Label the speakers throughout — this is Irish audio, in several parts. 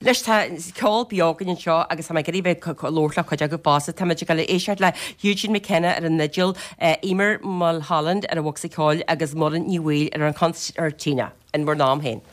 Speaker 1: Anois tá ceol beo againn anseo agus tá mé ag iarraidh bheith ag labhairt le cuid agaibh fosta. Tá muid ag dul a éisteacht le Eugene McKenna ar an fhidil, Eimear Mulholland ar an bhocsa ceoil agus Muireann Ní Bhaoill ar an concertina in bhur n-am féin.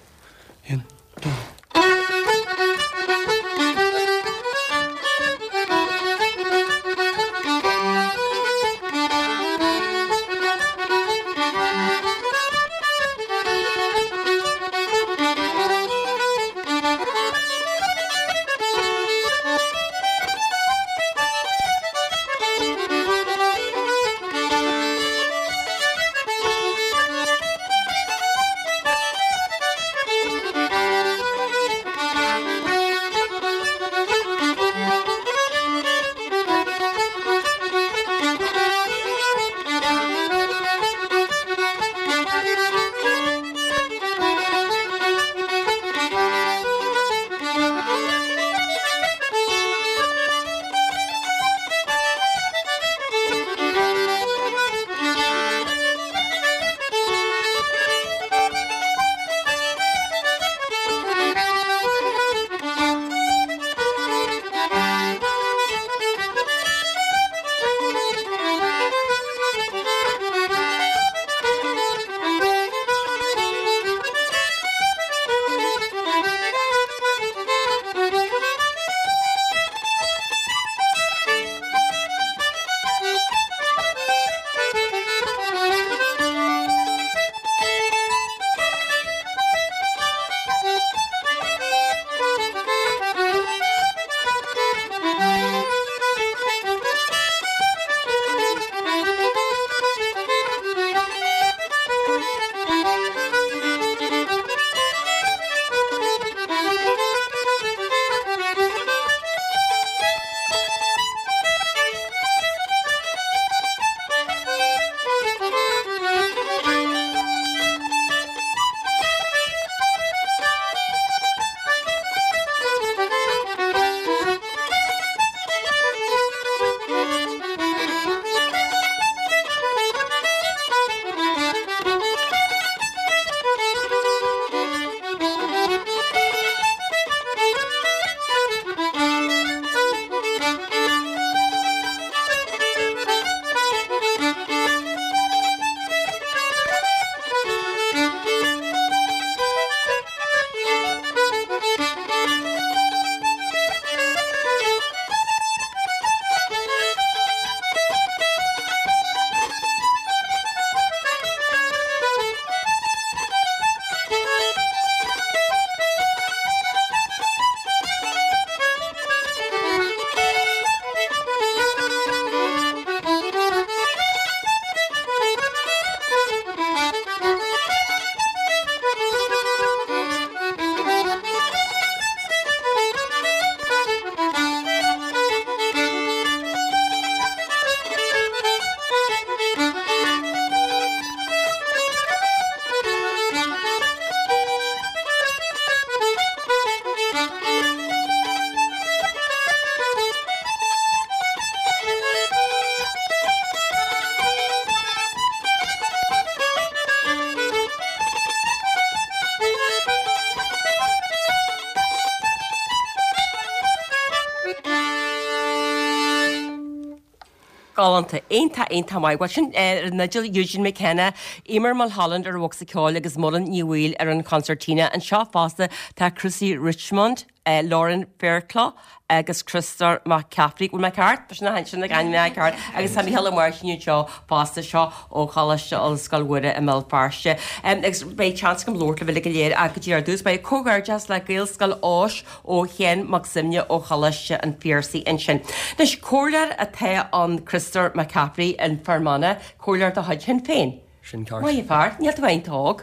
Speaker 1: Galánta. Iontach, iontach maith. Bhuel sin ar an fhidil Eugene McKenna, Eimear Mulholland ar an bhocsa ceoil agus Muireann Ní Bhaoill ar an concertina. Anseo fosta tá Chrissy Richmond, Lauren Fairclough agus Criostóir Mac Cafraidh. Bhfuil mé ceart? Tá sin na sin na ainmneacha ceart. Agus tá Mícheál Ó Máirtín anseo fosta seo ó Choláiste Ollscoil Mhuire i mBéal Feirste. Agus beidh seans agam labhairt libh uilig go léir ach go dtí ar dtús beidh comhghairdeas le Gaelscoil Eois ó Sheán Mac Suibhne ó Choláiste an Phiarsaigh ansin. Anois, comhairleoir atá ann Criostóir Mac Cafraidh in Fear Manach, comhairleoir de chuid Shinn Féin.
Speaker 2: Sin ceart.
Speaker 1: Maith an fear, níl tú iontach óg.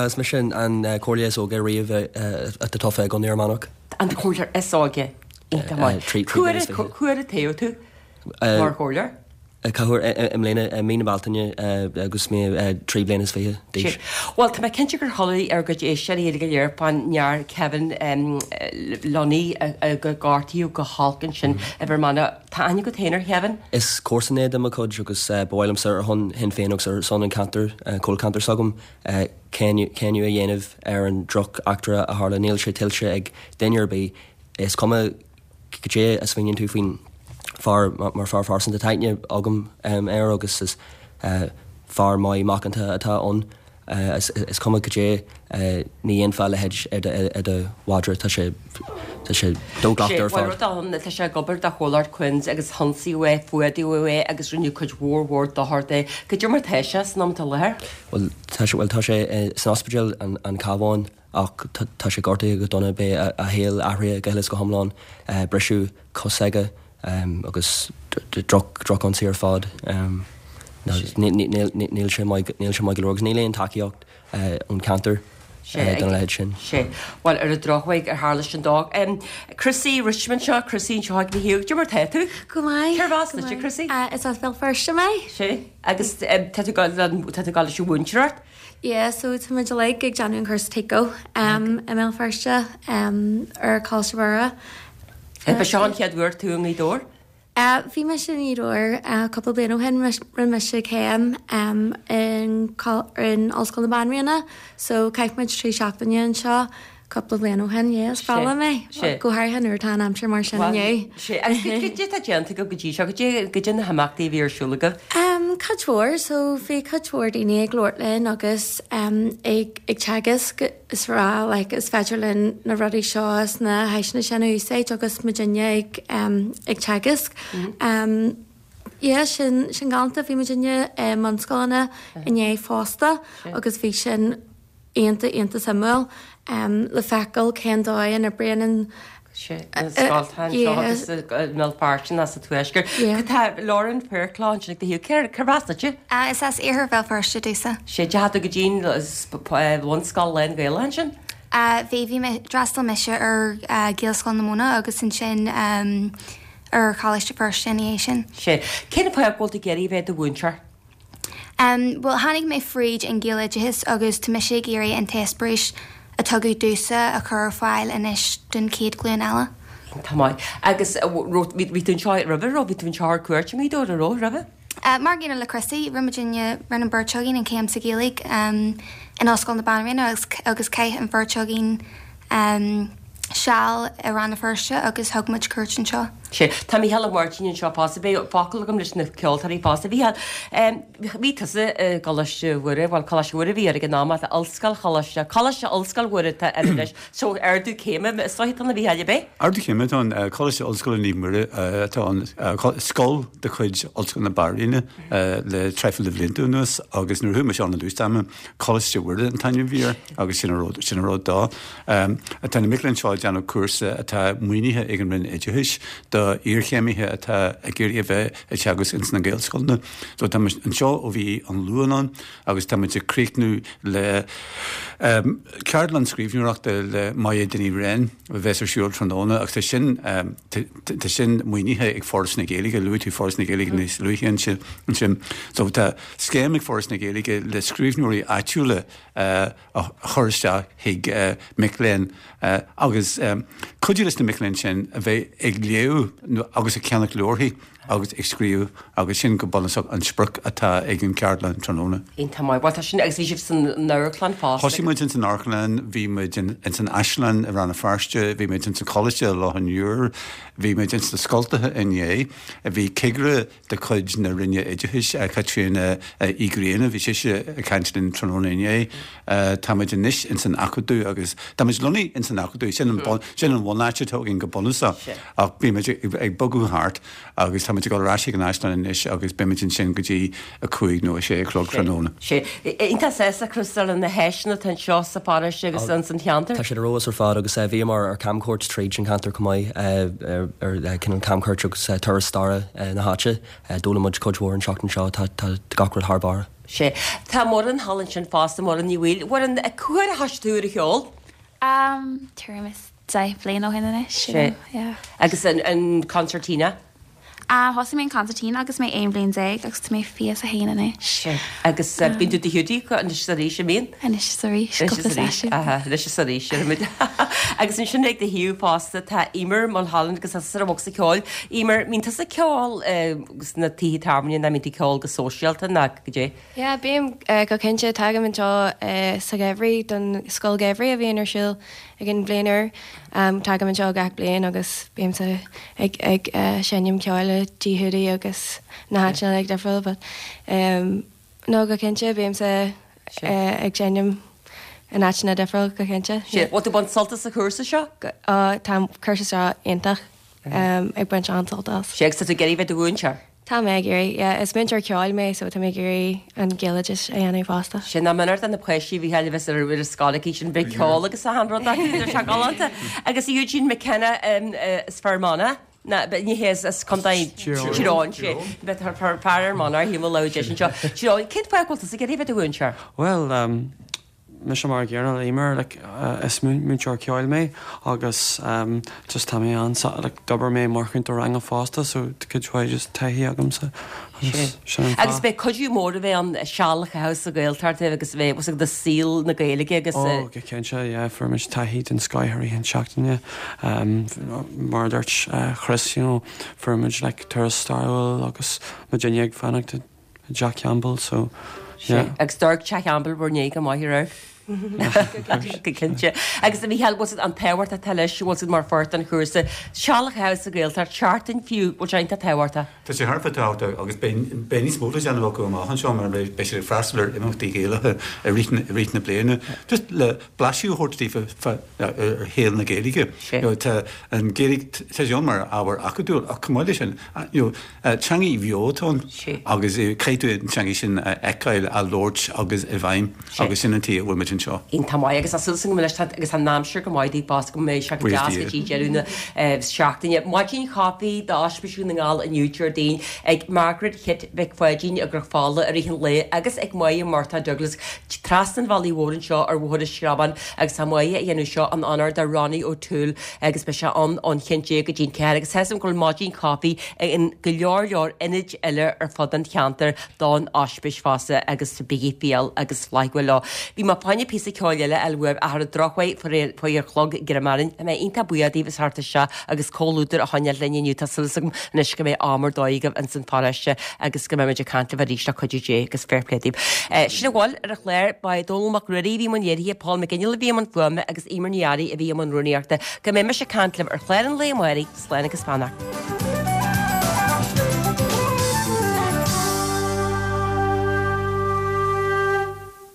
Speaker 2: Is mise an comhairleoir is óige riamh atá tofa i gContae Fhear Manach.
Speaker 1: An comhairleoir is óige. Iontach maith. Cá huair a toghadh tú mar chomhairleoir?
Speaker 2: Cá huair i mbliana, i mí na Bealtaine agus mé 23 bliana d'aois.
Speaker 1: Bhuel, tá mé cinnte gur chuala ár gcuid éisteoirí uilig go léir fán fhear Kevin Lunny a gortaíodh go holc ansin i bhFear Manach. Tá aithne agat féin ar Kevin?
Speaker 2: Is comharsan é de mo chuid agus ba mhaith liomsa ar shon Shinn Féin agus ar son an ceantar, toghcheantar s'agam, cáineadh a dhéanamh ar an droch eachtra a tharla. Níl sé tuillte ag duine ar bith. Is cuma. Cad é a smaoiníonn tú faoin fear mar fear phearsanta? Tá aithne agam air agus is fear maith macánta atá ann. Is cuma cad é, ní dhéanfá a leithéid ar do mhadra. Tá sé tá sé do-ghlactha ar
Speaker 1: fad. Rud ann, tá sé ag obair do chomhlacht Quinns agus hionsaíodh é, fuadaíodh é agus rinneadh cuid mhór mhór dochair de. Cad é mar tá sé san am atá i láthair?
Speaker 2: Bhuel, tá sé, bhuel, tá sé san ospidéal an Cabhán. Ach tá sé gortaithe go dona, beidh a shaol athraithe go huile is go hiomlán, briseadh cos aige agus droch-ionsaí ar fad. Níl sé maith go leor agus níl aon tacaíocht ón cheantar don leithéid sin.
Speaker 1: Sea. Bhuel, ar an drochuair, ar tharla sin dó. Chrissy Richmond seo, Chrissy anseo ag mo thaobh. Cad é mar tá tú?
Speaker 3: Go maith.
Speaker 1: Cérbh as duit, Chrissy?
Speaker 3: Is as Béal Feirste mé.
Speaker 1: Sea. Agus tá tú ag dul leis an mhúinteoireacht?
Speaker 3: Yeah, so tá muid uilig ag déanamh an cúrsa TICO i mBéal Feirste ar Choláiste Mhuire.
Speaker 1: Ba seo an chéad uair tú i nGaoth Dobhair?
Speaker 3: Bhí mise i nGaoth Dobhair cúpla bliain ó shin, rinne mise céim in Ollscoil na Banríona, so chaith muid 3 seachtaine anseo Cúpla bliain ó shin, yeah, is breá liom é, go háirithe nuair atá an aimsir mar sin inniu.
Speaker 1: Sea, agus cad é atá déanta agaibh go dtí seo? Cad é na himeachtaí a bhí ar siúl agaibh?
Speaker 3: Cuid mhór, so bhí cuid mhór daoine ag labhairt linn agus ag ag teagasc is rá like is féidir linn na rudaí seo is na háiseanna sin a úsáid agus muidinne ag ag teagasc. Yeah, sin sin galánta, bhí muidinne i mbunscoileanna inné fosta agus bhí sin iontach iontach suimiúil le feiceáil cén dóigh a n-oibríonn an
Speaker 1: na scoltacha anseo agus i mBéal Feirste nó sa Tuaisceart. Cad tá Lauren Fairclough ansin ag do thaobh? Cérbh as duitse?
Speaker 4: Is as Iarthar Bhéal Feirste domhsa.
Speaker 1: Sea, deachaigh tú go dtí an bhunscoil lán-Ghaelach ansin?
Speaker 4: Bhí, bhí mé, d'fhreastail mise ar Ghaelscoil na Móna agus ansin ar Choláiste Feirste ina dhiaidh sin.
Speaker 1: Sea. Cén fáth go bhfuil tú ag iarraidh a bheith i do mhúinteoir?
Speaker 4: Bhuel, tháinig mé fríd an Ghaeloideachas agus tá mise ag iarraidh an t-eispéireas a tugadh domhsa a chur ar fáil anois don chéad ghlúin eile.
Speaker 1: Tá maith. Agus bhí tú anseo roimhe, raibh? Bhí tú anseo ar cuairt i nGaoth Dobhair, an raibh, roimhe?
Speaker 4: Mar an gcéanna le Chrissy, rinne muidinne, rinne an bheirt againn an chéim sa Ghaeilge in Ollscoil na Banríona agus agus chaith an bheirt againn seal i Rann na Feirste agus thug muid cuairt anseo.
Speaker 1: Sea. Tá Mícheál Ó Máirtín anseo fosta. Beidh focal agam leis na ceoltóirí fosta. Mhícheál, bhí tusa i gColáiste Mhuire, bhuel, Coláiste Mhuire a bhí air ag an am ach Ollscoil Choláiste, Coláiste Ollscoil Mhuire atá air anois. So, ardú céime is dóiche atá ann, a Mhícheáil, ab
Speaker 5: é? Ardú céime atá ann. Coláiste Ollscoile Naomh Muire atá ann. Scoil de chuid Ollscoil na Banríona le traidhfil de bhlianta anuas agus nuair a chuaigh mise ann i dtús ama, Coláiste Mhuire an t-ainm a bhí air agus sin an rud, sin an rud dó. Tá na mic léinn seo ag déanamh cúrsa atá maoinithe ag an Roinn Oideachais do iarchéimithe atá ag iarraidh a bheith ag teagasc ins na Gaelscoileanna. So tá muid anseo ó bhí an Luan ann agus tá muid ag críochnú le ceardlann scríbhneoireachta le Maya Dinny Wren a bheas ar siúl tráthnóna agus tá sin tá sin maoinithe ag Foras na Gaeilge, luaigh tú Foras na Gaeilge níos luaithe ansin. So tá scéim ag Foras na Gaeilge le scríbhneoirí áitiúla a chur isteach chuig mic léinn agus cuidiú leis na mic léinn sin a bheith ag léamh agus ag ceannach leabharthaí agus ag scríobh agus sin go bunúsach an sprioc atá ag an cheardlann tráthnóna.
Speaker 1: Iontach maith. Bhuel tá sin agus bhí sibh san amharclann fosta.
Speaker 5: Thosaigh muid ins an amharclann, bhí muid ins an Áislann i Rann na Feirste, bhí muid ins an Choláiste i Loch an Iúir, bhí muid ins na scoltacha inné, bhí cigire de chuid na Roinne Oideachais, Caitríona Uí Ghrianna, bhí sise ag caint linn tráthnóna inné. Tá muid anois ins an Acadamh agus tá muid lonnaithe ins an Acadamh, sin an sin an bhunáit atá againn go bunúsach ach bíonn muid ag bogadh thart agus tá muid ag dul ar ais ag an Áislann anois agus beidh muid ansin go dtí a 5 nó a 6 a chlog tráthnóna.
Speaker 1: Sea. Iontach sásta, Chris, ar na háiseanna atá anseo sa pharóiste agus ins an cheantar.
Speaker 2: Tá siad ar fheabhas ar fad agus bhíomar ar camchuairt tríd an cheantar chomh maith, ar cineál camchuairt agus turas staire na háite. D'fhoghlaim muid cuid mhór an tseachtain seo, tá gach rud thar barr.
Speaker 1: Sea. Tá Muireann thall ansin fosta, Muireann Ní Bhaoill. Muireann, cá huair a thoisigh tú ar an cheol?
Speaker 6: Tuairim is 10 bliain ó shin anois,
Speaker 1: yeah. Agus an concertina?
Speaker 6: Thosaigh mé an consairtín agus mé 11 bhliain agus tá mé 21 anois.
Speaker 1: Sea. Agus bíonn tú i dTigh Hiúdaí anois is arís, an mbíonn?
Speaker 6: Anois is arís, cúpla seisiún.
Speaker 1: Anois is arís, déarfaimid. Agus ansin ag do thaobh fosta tá Emer Mulholland agus tusa ar an bhocsa ceoil. Emer, mbíonn tusa ag ceol sna tithe tábhairne nó mbíonn tú ag ceol go sóisialta nó goidé?
Speaker 3: Yeah, bím go cinnte. Tagaim anseo sa gheimhreadh don scoil gheimhridh a bhíonn ar siúl ag an bhliain úr. Tagaim anseo gach bliain agus bímse ag ag seinm ceoil i dTigh Hiúdaí agus na háiteanna uilig difriúil but no go cinnte bímse ag seinm in áiteanna difriúil go cinnte.
Speaker 1: Sea, bhfuil tú ag baint sult as an chúrsa seo?
Speaker 3: Tá an cúrsa seo iontach, ag baint an-sult as.
Speaker 1: Sea, agus tá tú ag iarraidh bheith i do mhúinteoir?
Speaker 3: Tá mé ag iarraidh, yeah. Is múinteoir ceoil mé so tá mé ag iarraidh an Gaeloideachas a dhéanamh fosta.
Speaker 1: Sin nach méanar do na páistí a bhí a bheith ar ar scoil aici sin bheith ceol agus achan rud acu, tá sé galánta. Agus Eugene McKenna as Fear Manach, ná, ní hé as Contae Tír Eoghain, sé, bheith fear Fhear Manach, shíl mé labhair deis anseo. Tír Eoghain, cén fáth go bhfuil tusa ag iarraidh bheith i do mhúinteoir?
Speaker 7: Bhuel, Mise mar an gcéanna le Emer, like is múinteoir ceoil mé agus just tá mé an like d'obair mé mar chúntóir ranga fosta so tá cuid mhaith just taithí agamsa
Speaker 1: agus sin an fáth. Agus beidh cuidiú mór a bheith ann seal a chaitheamh sa Ghaeltacht agus a bheith do saol na Gaeilge agus.
Speaker 7: Oh go cinnte yeah fuair muid taithí den scoith i rith an seachtaine mar a dúirt Chris you know fuair muid like turas stairiúil agus muidinne ag fanacht i dTeach Campbell so
Speaker 1: yeah. Agus d'amharc Teach Campbell bhur ndiaidh go maith ar Go cinnte. Agus a Mhícheáil, bhfuil siad an tábhacht atá leis, bhfuil siad mar pháirt den chúrsa, seal a chaitheamh sa Ghaeltacht, seachtain fiú, bhfuil sé iontach tábhachtach?
Speaker 5: Tá sé thar a bheith tábhachtach agus beidh níos mó le déanamh acu amach anseo mar beidh siad ag freastal ar imeachtaí Gaelacha i rith na bliana just le blaiseadh a thabhairt daofa ar shaol na Gaeilge. Tá an Ghaeilge, tá sé ann mar ábhar acadúil ach chomh maith leis sin, you know, Teangaidh bheo atá ann agus caithfidh tú an teangaidh sin a fheiceáil, á labhairt agus i bhfeidhm agus sin an tuige a bhfuil muid anseo.
Speaker 1: Iontach maith agus tá súil agam leis agus tá an aimsir go maith daoibh fosta go mbeidh sé go deas go dtí deireadh na seachtaine. Maidin chaife d'Ospís Dhún na nGall inniu Déardaoin ag Margaret Chit Mhic Pháidín i gCnoc Fola i rith an lae agus ag Máire Murtagh Douglas trasna an bhealaigh mhóir anseo ar Bhóthar an Screabáin agus tá Máire ag déanamh seo in onóir do Ronnie O'Toole agus beidh sé ann ón 11 go dtí an 4 agus tá 'fhios agam go bhfuil maidin chaife in go leor leor ionaid eile ar fud an cheantair don ospís fosta agus bígí fial agus flaithiúil leo. Bhí mé fá choinne píosa ceoil eile a fháil uaibh ach ar an drochuair faoi ar chlog greim orainn. Tá mé iontach buíoch daoibh as theacht isteach agus comhluadar a choinneáil linn inniu. Tá súil agam anois go mbeidh am ar dóigh agaibh ins an pharóiste agus go mbeidh muid ag caint libh arís le cuidiú Dé agus fair play daoibh. Sin a bhfuil ar an chlár. Ba é Dónall Mac Ruairí a bhí i mbun léirithe, Paul McGinley a bhí i mbun fuaime agus Emer Ní Fhearraigh a bhí i mbun rúnaíochta. Go mbeidh mise ag caint libh ar chlár an lae amárach, slán agus beannacht.